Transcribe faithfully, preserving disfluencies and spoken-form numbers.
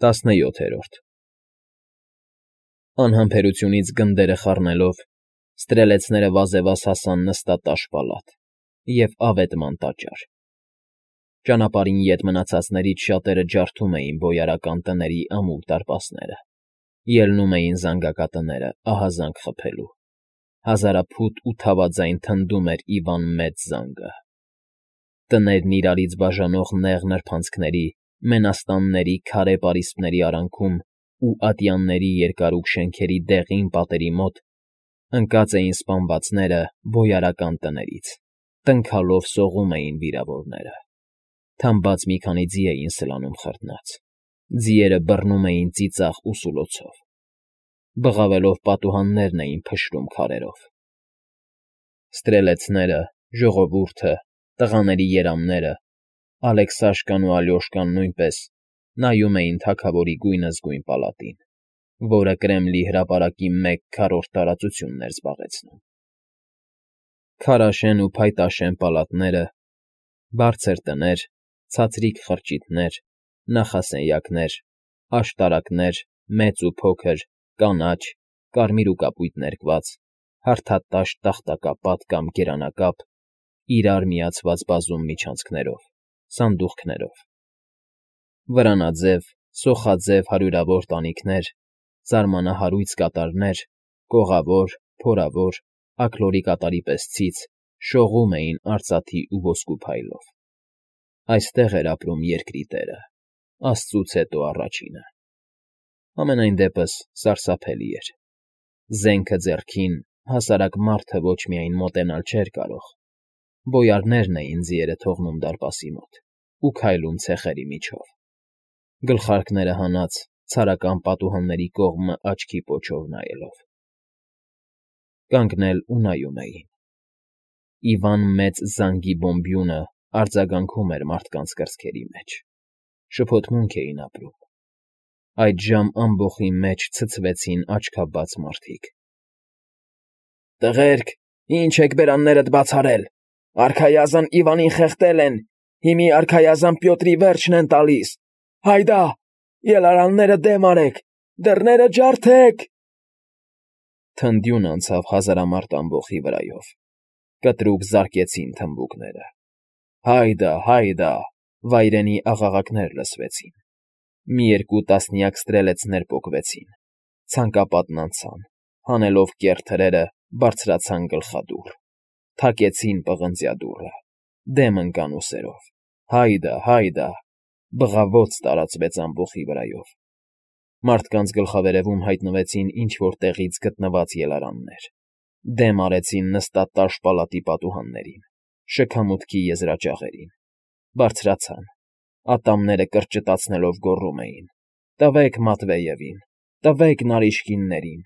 Տասնյոթերորդ Անհամբերությունից գնդերը խառնելով՝ ստրելեցները վազեվազ հասան նստատաշ պալատ և ավետման տաճար. ճանապարհին ետ մնացածներից շատերը ջարդում էին բոյարական տների ամուլ դարպասները, ելնում էին զանգակատները ահազանգ խփելու, հազարափութ ու թավաձայն թնդում էր Իվան մեծ զանգը. տներն իրարից բաժանող նեղ նրբանցքների, մենաստանների քարե պարիսպների արանքում ու ատյանների երկարուկ շենքերի դեղին պատերի մոտ ընկած էին սպանվածները բոյարական տներից, տնքալով սողում էին վիրավորները, թամբած մի քանի ձի էին սլանում խրտնած, ձիերը բռնում էին ծիծաղ ու սուլոցով, բղավելով պատուհաններն էին փշրում քարերով. ստրելեցները, ժողովուրդը, տղաների երամները, Ալեքսաշկան ու Ալյոշկան նույնպես նայում էին թագավորի գույնզգույն պալատին, որը Կրեմլի հրապարակի մեկ քառորդ տարածությունն էր զբաղեցնում. քարաշեն ու փայտաշեն պալատները, բարձր տներ, ցածրիկ խրճիթներ, նախասենյակներ, աշտարակներ, մեծ ու փոքր, կանաչ, կարմիր ու կապույտ ներկված, հարթատաշ տախտակապատ կամ գերանակապ, իրար միացված բազում միջանցքներով, սանդուղքներով, վրանաձև, սոխաձև հարյուրավոր տանիքներ, զարմանահարույց կատարներ, կողավոր, փորավոր, աքլորի կատարի պես ցից, շողում էին արծաթի ու ոսկու փայլով. այստեղ էր ապրում երկրի տերը, աստծուց հետո առաջինը. համենայն դեպս սարսափելի էր, զենքը ձեռքին, հասարակ մարդը ոչ միայն մոտենալ չէր կարող, բոյարներն էին ձիերը թողնում դարպասի մոտ ու քայլում ցեխերի միջով, գլխարկները հանած ցարական պատուհանների կողմը աչքի պոչով նայելով. կանգնել ու նայում էին. Իվան մեծ զանգի բոմբյունը արձագանքում էր մարդկանց կրծքերի մեջ, շփոթմունք էին ապրում, այդժամ ամբոխի մեջ ցցվեցին աչքաբաց մարդիկ. Տղերք, ի՞նչ եք բերաններդ բաց արել, արքայազն Իվանին խեղդել են, հիմի արքայազն Պյոտրի վերջն են տալիս, հայդա, ելարանները դեմ արեք, դռները ջարդեք… Թնդյուն անցավ հազարամարդ ամբոխի վրայով, կտրուկ զարկեցին թմբուկները, հայդա, հայդա, վայրենի աղաղակներ լսվեցին, մի երկու տասնյակ ստրելեցներ պոկվեցին, ցանկապատն անցան, հանելով կեռ թրերը, բարձրացան գլխադուռ, թակեցին պղնձյա դուռը, դեմ ընկան ուսերով, հայդա, հայդա, բղավոց տարածվեց ամբոխի վրայով, մարդկանց գլխավերևում հայտնվեցին ինչ֊որ տեղից գտնված ելարաններ, դեմ արեցին նստատաշ պալատի պատուհաններին, շքամուտքի եզրաճաղերին, բարձրացան, ատամները կրճտացնելով գոռում էին. «Տվեք Մատվեևին, տվեք Նարիշկիններին,